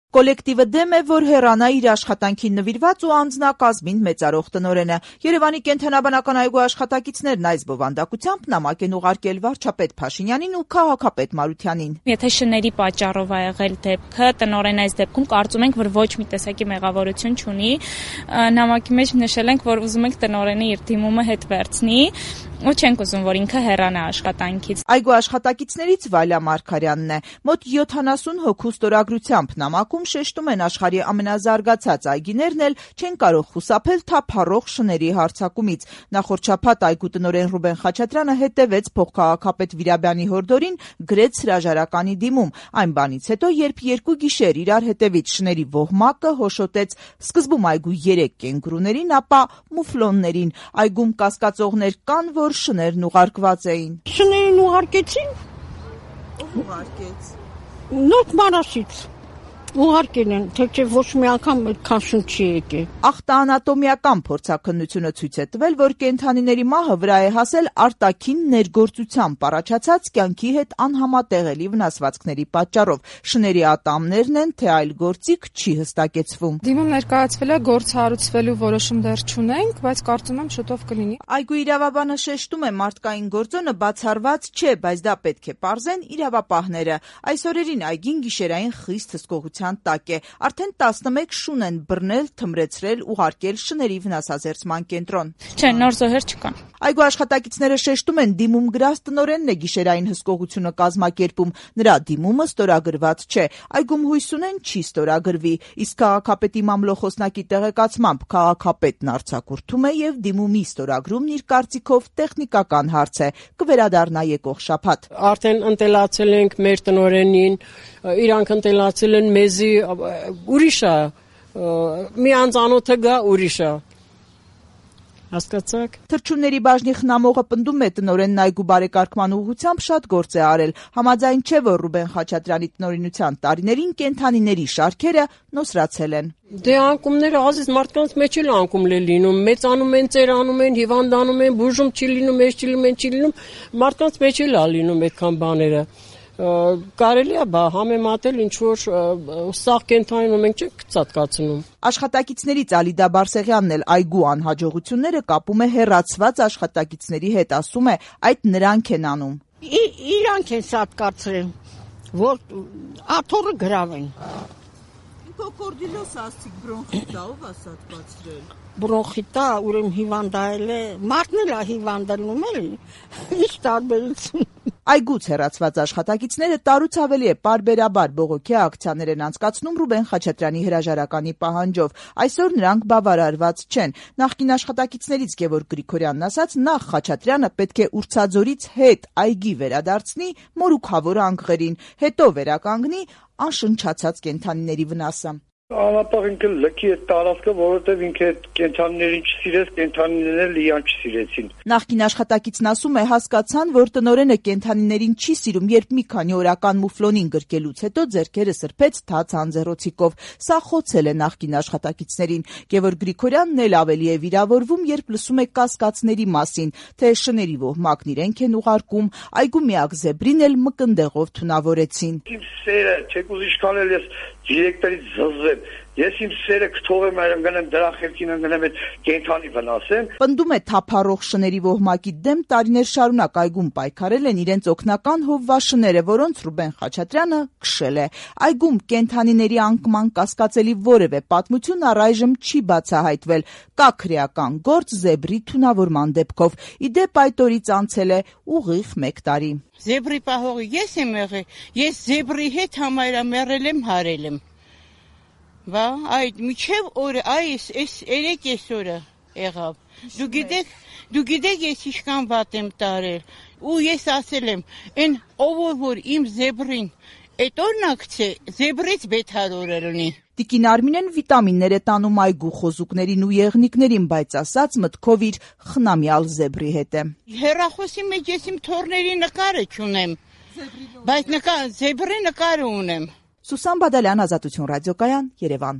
Կոլեկտիվը դեմ է, որ հեռանա իր աշխատանքին նվիրված ու անձնակազմին մեծարող տնօրենը։ Երևանի կենդանաբանական այգու աշխատակիցներն այս բովանդակությամբ նամակ են ուղարկել վարչապետ Փաշինյանին ու քաղաքապետ Մարությանին։ Եթե շների պատճառով ա եղել դեպքը, տնօրենը այս դեպքում կարծում ենք, որ ոչ մի տեսակի մեղավորություն չունի։ Նամակի մեջ նշել ենք, որ ուզում ենք տնօրենը իր դիմումը հետ վերցնի ու չենք ուզում, որ ինքը հեռանա աշխատանքից։ Այգու աշխատակիցներից Վալյա Մարգարյանն է։ Մոտ 70 հոգու ստորագրությամբ նամակում շեշտում են աշխարհի ամենազարգացած այգիներն էլ չեն կարող խուսափել թափառող շների հարձակումից։ Նախորդ շաբաթ այգու տնօրեն Ռուբեն Խաչատրյանը հետևեց փոխքաղաքապետ Վիրաբյանի հորդորին, գրեց հրաժարականի դիմում։ Այն բանից հետո, երբ երկու գիշեր իրար հետևից շների ոհմակը հոշոտեց սկզբում այգու 3 կենգուրուներին, ապա մուֆլոններին։ Այգում կասկածողներ կան, որ շներն ուղարկված էին։ Շներին ուղարկեցին։ Ով ուղարկեց։ Նոր Մարաշից ուղարկել են, թե ոչ մի անգամ այդքան շուն չի եկել։ Ախտաանատոմիական փորձաքննությունը ցույց է տվել, որ կենդանիների մահը վրա է հասել արտաքին ներգործությամբ առաջացած կյանքի հետ անհամատեղելի վնասվածքների պատճառով։ Շների ատամներն են, թե այլ գործիք չի հստակեցվում։ Դիմում ներկայացվել է, գործ հարուցվելու որոշում դեռ չունենք, բայց կարծում եմ շուտով կլինի։ Այգու իրավաբանը շեշտում է, մարդկային գործոնը բացառված չէ, բայց դա պետք է պարզեն իրավապահները։ Այս օրերին այգին գիշերային խիստ հսկողության տակ է։ Արդեն 11 շուն են բռնել, թմրեցրել, ուղարկել շների վնասազերծման կենտրոն։ Չէ, նոր զոհեր չկան։ Այգու աշխատակիցները շեշտում են, դիմում գրած տնօրենն է գիշերային հսկողությունը կազմակերպում։ Նրա դիմումը ստորագրված չէ։ Այգում հույս ունեն չի ստորագրվի, իսկ քաղաքապետի մամլոխոսնակի տեղեկացմամբ քաղաքապետն արձակուրդում է եւ դիմումի ստորագրումն իր կարծիքով տեխնիկական հարց է, կվերադառնա եկող շաբաթ։ Արդեն ընտելացել ենք մեր տնօրենին, իրանք ընտելացել են մեզի, ուրիշ է, մի անծանոթը գա ուրիշ է։ Հասկացաք։ Թռչունների բաժնի խնամողը պնդում է, տնօրենն այգու բարեկարգման ուղղությամբ շատ գործ է արել։ Համաձայն չէ, որ Ռուբեն Խաչատրյանի տնօրինության տարիներին կենդանիների շարքերը նոսրացել են։ Դե անկումները ազիզ մարդկանց մեջ էլ անկում է լինում, մեծանում են, ծերանում են, հիվանդանում են, բուժում չի լինում, էս չի լինում, չի լինում, մարդկանց մեջ էլ է լինում այդքան բաները։ Կարելի է համեմատել ինչ-որ սաղ կենդանին մենք չենք ծածկացնում։ Աշխատակիցներից Ալիդա Բարսեղյանն էլ այգու անհաջողությունները կապում է հեռացված աշխատակիցների հետ, ասում է, այդ նրանք են անում։ Իրանք են սատկացրել, որ աթոռը գրավեն։ Կոկորդիլոս ասցիկ բրոնխիտա, ով է սատկացրել։ Բրոնխիտա, ուրեմն հիվանդայել է, մարդն էլ է հիվանդանում էլի, ինչ տարբերություն։ Այգուց հեռացված աշխատակիցները տարուց ավելի է պարբերաբար բողոքի ակցիաներ են անցկացնում Ռուբեն Խաչատրյանի հրաժարականի պահանջով։ Այսօր նրանք բավարարված չեն։ Նախկին աշխատակիցներից Գևորգ Գրիգորյանն ասաց, նախ Խաչատրյանը պետք է Ուրցաձորից հետ այգի վերադարձնի մորուքավոր անկղերին, հետո վերականգնի անշնչացած կենդանիների վնասը։ Անապահ ինքը լքի է տարածքը, որովհետև ինքը կենդանիներին չսիրեց, կենդանիներն էլ իրան չսիրեցին։ Նախկին աշխատակիցն ասում է, հասկացան, որ տնօրենը կենդանիներին չի սիրում, երբ մի քանի օրական մուֆլոնին գրկելուց հետո ձեռքերը սրբեց թաց անձեռոցիկով։ Սա խոցել է նախկին աշխատակիցներին։ Գևորգ Գրիգորյանն էլ ավելի է վիրավորվում, երբ լսում է կասկածների մասին, թե շների ոհմակն իրենք են ուղարկում, այգու միակ զեբրին էլ մկնդեղով թունավորեցին։ Իմ սերը, չեք ուզի ինչքան էլ ես դիրեկտորից զզվեմ։ Ես իմ սերը կթողեմ, այրեմ գնեմ դրա խելքին ընկնեմ այդ կենդանի վնասեմ։ Պնդում է թափառող շների ոհմակի դեմ տարիներ շարունակ այգում պայքարել են իրենց օգնական հովվաշները, որոնց Ռուբեն Խաչատրյանը քշել է։ Այգում կենդանիների անկման կասկածելի որևէ պատմություն առայժմ չի բացահայտվել։ Կա քրեական գործ զեբրի թունավորման դեպքով։ Իդեպ այդ օրից անցել է ուղիղ 1 տարի։ Զեբրի պահողը ես եմ եղել, ես զեբրի հետ համայրամերել եմ, հարել եմ։ Բա այդ միջև օրը այս 3 օրը եղավ։ Դու գիտեք ես ինչքան վատ եմ տարել ու ես ասել եմ այն ով որ իմ զեբրին այդ օրնակցե զեբրից բեթարորը լինի։ Տիկին Արմինեն վիտամիններ է տանում այգու խոզուկներին ու եղնիկներին, բայց ասած մտքով իր խնամյալ զեբրի հետ է։ Հեռախոսի մեջ ես իմ թորների նկարը չունեմ, բայց զեբրի նկարը ունեմ։ Սուսան Բադալյան, Ազատություն ռադիոկայան, Երևան։